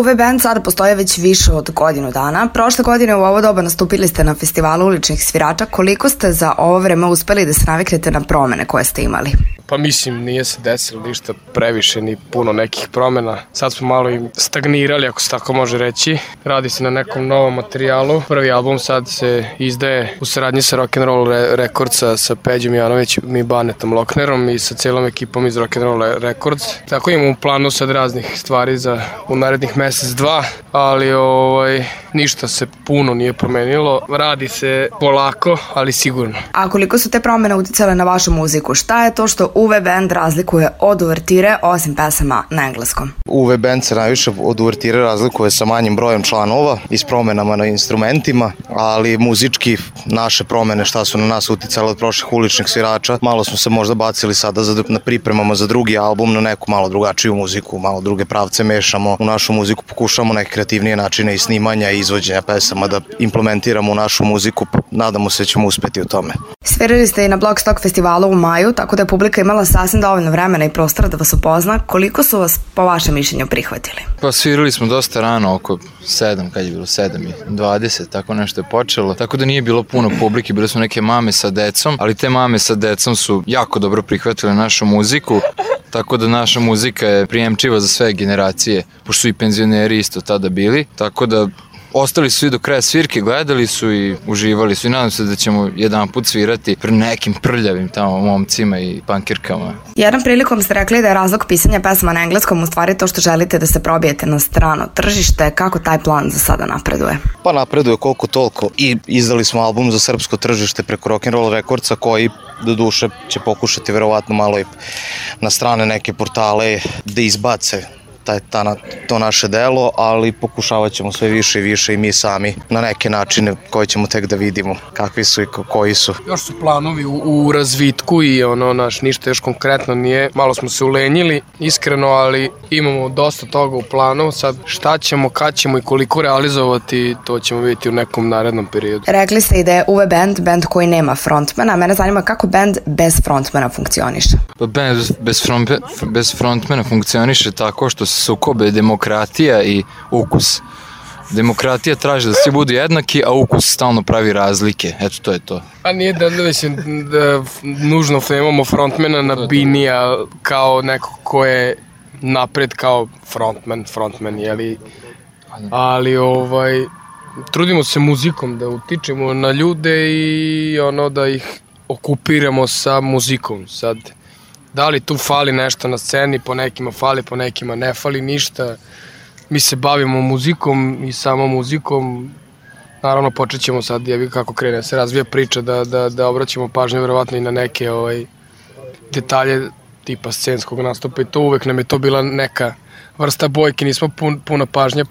UV Band sada postoje već više od godinu dana. Prošle godine u ovo doba nastupili ste na festivalu uličnih svirača. Koliko ste za ovo vreme uspeli da se naviknete na promene koje ste imali? Pa mislim, nije se desilo ništa previše, ni puno nekih promena. Sad smo malo i stagnirali, ako se tako može reći. Radi se na nekom novom materijalu. Prvi album sad se izdaje u saradnji sa Rock'n'Roll Recordsa, sa Peđom Janovićem i Banetom Loknerom i sa celom ekipom iz Rock'n'Roll Records. Tako imamo u planu sad raznih stvari za u narednih mesec, dva, ali ništa se puno nije promenilo. Radi se polako, ali sigurno. A koliko su te promene uticale na vašu muziku? Šta je to što UV Band razlikuje od uvertire osim pesama na engleskom? UV Band se najviše od uvertire razlikuje sa manjim brojem članova i s promenama na instrumentima, ali muzički naše promene šta su na nas uticale od prošlih uličnih svirača, malo smo se možda bacili sada na pripremama za drugi album, na neku malo drugačiju muziku, malo druge pravce mešamo u našu muziku, pokušamo neke kreativnije načine i snimanja i izvođenja pesama da implementiramo u našu muziku, nadamo se da ćemo uspeti u tome. Svirali ste i na Blockstock festivalu u maju, tako da je publika imala sasvim dovoljno vremena i prostora da vas upozna. Koliko su vas po vašem mišljenju prihvatili? Pa svirali smo dosta rano, oko 7, kad je bilo 7:20, tako nešto je počelo, tako da nije bilo puno publike, bile su neke mame sa decom, ali te mame sa decom su jako dobro prihvatile našu muziku, tako da naša muzika je prijemčiva za sve generacije, pošto su i penzioneri isto tada bili, tako da ostali su i do kraja svirke, gledali su i uživali su i nadam se da ćemo jedan put svirati pred nekim prljavim tamo momcima i pankirkama. Jednom prilikom ste rekli da je razlog pisanja pesma na engleskom u stvari to što želite da se probijete na strano tržište. Kako taj plan za sada napreduje? Pa napreduje koliko toliko i izdali smo album za srpsko tržište preko Rock'n'Roll Recordsa koji do duše će pokušati verovatno malo i na strane neke portale da izbace to naše delo, ali pokušavat ćemo sve više i više i mi sami na neke načine koje ćemo tek da vidimo kakvi su i koji su. Još su planovi u razvitku i ništa još konkretno nije. Malo smo se ulenjili, iskreno, ali imamo dosta toga u planu. Sad šta ćemo, kad ćemo i koliko realizovati, to ćemo vidjeti u nekom narednom periodu. Rekli ste i da je UV Band koji nema frontmana. Mene zanima kako band bez frontmana funkcioniše. Band bez frontmana funkcioniše tako što se sukobe demokratija i ukus. Demokratija traži da svi budu jednaki, a ukus stalno pravi razlike. Eto, to je to. A nije da nužno imamo frontmana na Binija kao neko ko je napred kao frontman, jeli? Ali trudimo se muzikom da utičemo na ljude i da ih okupiramo sa muzikom. Sad, da li tu fali nešto na sceni, po nekima fali, po nekima ne fali ništa. Mi se bavimo muzikom i samo muzikom. Naravno, počet ćemo sad, kako krene se razvija priča, da obraćamo pažnju verovatno i na neke detalje tipa scenskog nastupa i to uvek nam je to bila neka vrsta bojke, nismo puno pažnje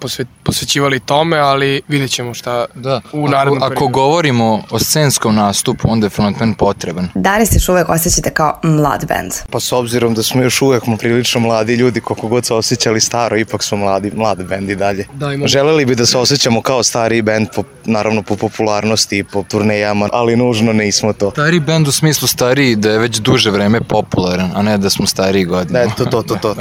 posvećivali tome, ali vidjet ćemo šta u narednom periodu. Ako govorimo o scenskom nastupu, onda je frontman potreban. Da li se još uvek osjećate kao mlad band? Pa s obzirom da smo još uvek prilično mladi ljudi, koliko god se osjećali staro, ipak smo mlad band i dalje. Želeli bi da se osjećamo kao stariji band, naravno po popularnosti i po turnejama, ali nužno nismo to. Stariji band u smislu stariji da je već duže vreme popularan, a ne da smo stariji godina. To.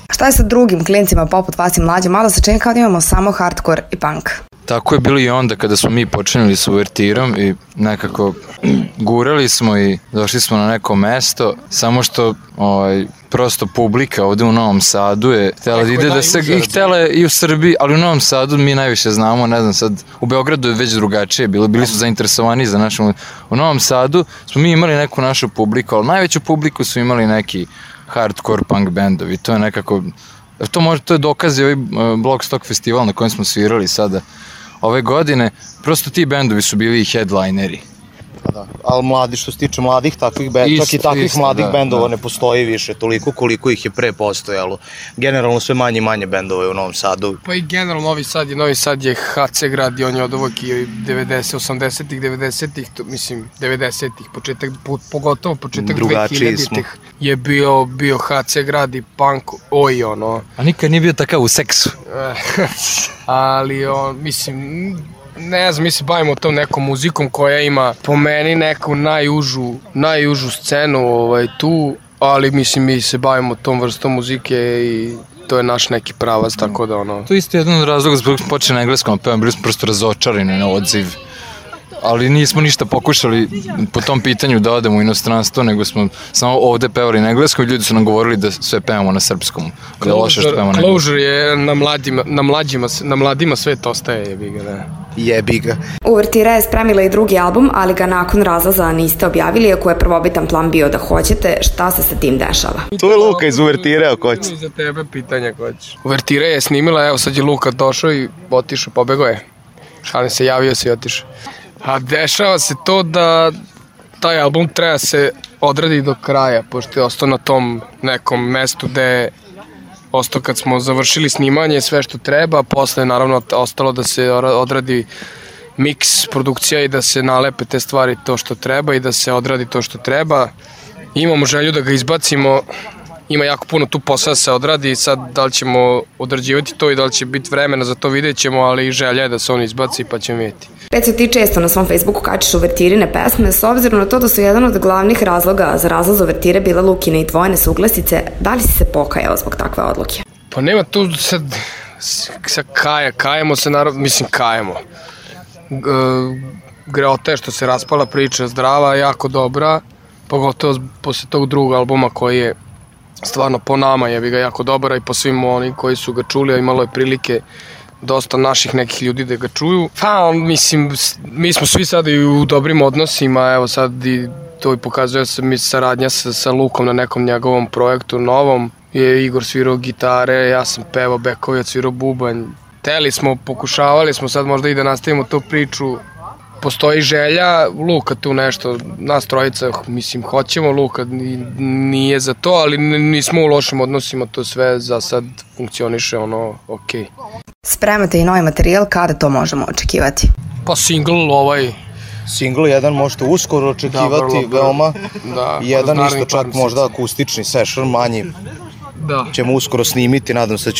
Šta je sa drugim klincima poput vas i mlađe? Malo se čini kao da imamo samo hardcore i punk. Tako je bilo i onda kada smo mi počinili s uvertirom i nekako gurali smo i došli smo na neko mesto, samo što prosto publika ovde u Novom Sadu je htjela da ide htjela je i u Srbiji, ali u Novom Sadu mi najviše znamo, ne znam sad, u Beogradu je već drugačije bilo, bili su zainteresovani za našu. U Novom Sadu smo mi imali neku našu publiku, ali najveću publiku su imali neki hardcore punk bendovi, to je nekako, to je dokaz i ovaj Blockstock festival na kojem smo svirali sada ove godine, prosto ti bendovi su bili i headlineri. Da, ali mladi, što se tiče mladih takvih bendova, čak i takvih mladih bendova ne postoji više toliko koliko ih je pre postojalo. Generalno sve manje i manje bendova je u Novom Sadu. Pa i generalno Novi Sad je HC grad i on je od ovog i 80-ih, 90-ih, mislim 90-ih, pogotovo početak 2000-ih je bio HC grad i punk, A nikad nije bio takav u seksu. Ali mislim, ne znam, mi se bavimo tom nekom muzikom koja ima po meni neku najužu scenu tu, ali mislim mi se bavimo tom vrstom muzike i to je naš neki pravac, tako da ono... To je isto jedan od razloga zbog počeo na engleskom pevam, bili smo prosto razočarani na odziv. Ali nismo ništa pokušali po tom pitanju da odemo u inostranstvo, nego smo samo ovde pevali na engleskom i ljudi su nam govorili da sve pevamo na srpskom. Da je loše što pevamo na engleskom. Closure je na mladima svet ostaje, jebi ga, ne. Jebi ga. Uvertira je spremila i drugi album, ali ga nakon razlaza niste objavili, iako je prvobitan plan bio da hoćete. Šta se sa tim dešava? To je Luka iz Uvertire, ako hoće. Za tebe pitanja ako hoćeš. Uvertire je snimila, evo sad je Luka došao i otišao, pobegao je. Šalim se, javio se i otišao. A dešava se to da taj album treba se odradi do kraja, pošto je ostao na tom nekom mestu gde je ostao kad smo završili snimanje sve što treba, posle naravno ostalo da se odradi miks, produkcija i da se nalepe te stvari to što treba i da se odradi to što treba. Imamo želju da ga izbacimo, ima jako puno tu posla da se odradi i sad da li ćemo odrađivati to i da li će biti vremena za to vidjet ćemo, ali želja je da se on izbaci pa ćemo vidjeti. Peco, ti često na svom Facebooku kačiš Uvertirine pesme, s obzirom na to da su jedan od glavnih razloga za razlaz Uvertire bila Lukine i tvoje nesuglasice, da li si se pokajao zbog takve odluke? Pa nema tu sad kajemo se naravno, mislim kajemo. Greota je što se raspala priča, zdrava, jako dobra, pogotovo posle tog drugog albuma koji je stvarno po nama je ga jako dobra i po svim oni koji su ga čuli, a imalo je prilike dosta naših nekih ljudi da ga čuju. Pa, mislim, mi smo svi sada i u dobrim odnosima, evo sad i to i pokazuje se mi saradnja sa Lukom na nekom njegovom projektu novom. Je Igor svirao gitare, ja sam pevao bekovi, svirao bubanj. Pokušavali smo sad možda i da nastavimo tu priču. Postoji želja, Luka tu nešto, nas trojica, mislim, hoćemo, Luka nije za to, ali nismo u lošim odnosima, to sve za sad funkcioniše, ono, okej. Spremate i novi materijal, kada to možemo očekivati? Pa single Single jedan možete uskoro očekivati, veoma. Da, jedan isto čak možda akustični session, manji. Da. Ćemo uskoro snimiti, nadam se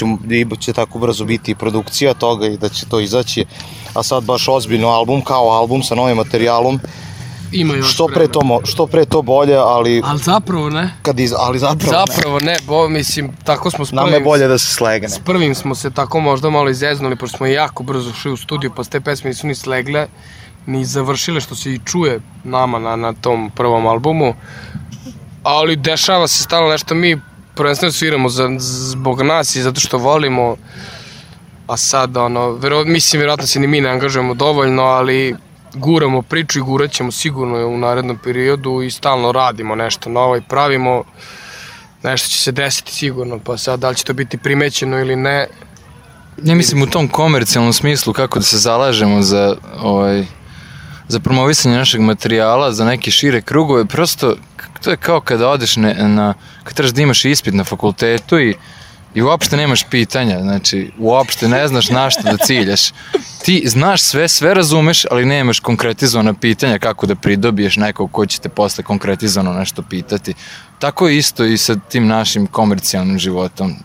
da će tako brzo biti i produkcija toga i da će to izaći. A sad baš ozbiljno album, kao album sa novim materijalom. Ima još što pre to bolje, ali... Ali zapravo ne. Zapravo ne, mislim, tako smo s prvim... Nama je bolje da se slegne. S prvim smo se tako možda malo izeznuli, pošto smo jako brzo šli u studiju, pa s te pesme nisu ni slegle, ni završile, što se i čuje nama na tom prvom albumu. Ali dešava se stalno nešto, mi prvenstveno sviramo zbog nas i zato što volimo, a sad, mislim, vjerojatno se ni mi ne angažujemo dovoljno, ali guramo priču i gurat ćemo sigurno u narednom periodu i stalno radimo nešto novo i pravimo, nešto će se desiti sigurno, pa sad da li će to biti primećeno ili ne. Ja mislim u tom komercijalnom smislu kako da se zalažemo za promovisanje našeg materijala, za neke šire krugove, prosto to je kao kada odeš kad trebaš da imaš ispit na fakultetu i uopšte nemaš pitanja, znači uopšte ne znaš na što da ciljaš. Ti znaš sve razumeš, ali nemaš konkretizovana pitanja kako da pridobiješ nekog ko će te posle konkretizovano nešto pitati. Tako je isto i sa tim našim komercijalnim životom.